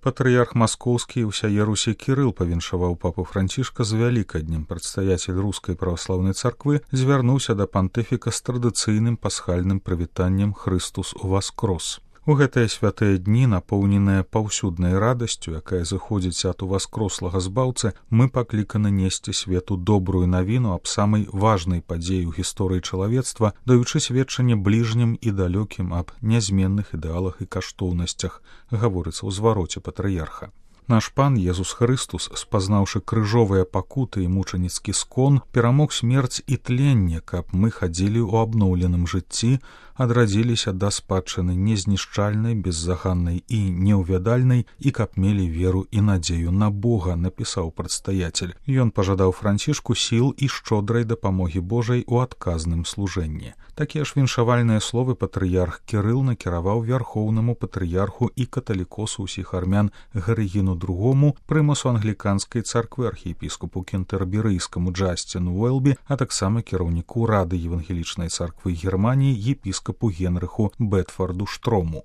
Патрыярх маскоўскі і ўсяе Русі Кірыл павіншаваў папу Францішка з вялікаднем. Прадстаяцель рускай праваслаўнай царквы звярнуўся да пантыфіка з традыцыйным пасхальным прывітаннем «Хрыстус уваскрос». У гэтыя святыя дні, напоўненыя паўсюднай радасцю, якая зыходзіць ад уваскрослага збаўцы, мы пакліканы несці свету добрую навіну аб самай важнай падзеі ў гісторыі чалавецтва, даючы сведчанне бліжнім і далёкім аб нязменных ідэалах і каштоўнасцях, гаворыцца ў звароце патрыярха. Наш пан Езус Хрыстус, спазнаўшы крыжовыя пакуты і мучаніцкі скон, перамог смерць і тленне, каб мы хадзілі ў абноўленым жыцці, адрадзіліся да спадчыны незнішчальнай, беззаганнай і неўвядальнай, і каб мелі веру і надзею на Бога, напісаў прадстаяцель. Ён пажадаў Францішку сіл і шчодрай дапамогі Божай у адказным служэнні. Такія ж віншавальныя словы патрыярх Кірыл накіраваў вярхоўнаму патрыярху і каталікосу ўсіх армян Гарыгіну II, прымасу англіканскай царквы архіепіскопу кентэрберыйскаму Джасціну Уэлбі, а таксама кіраўніку Рады евангелічнай царквы Германіі епіскопу Генрыху Бетфорду Штрому.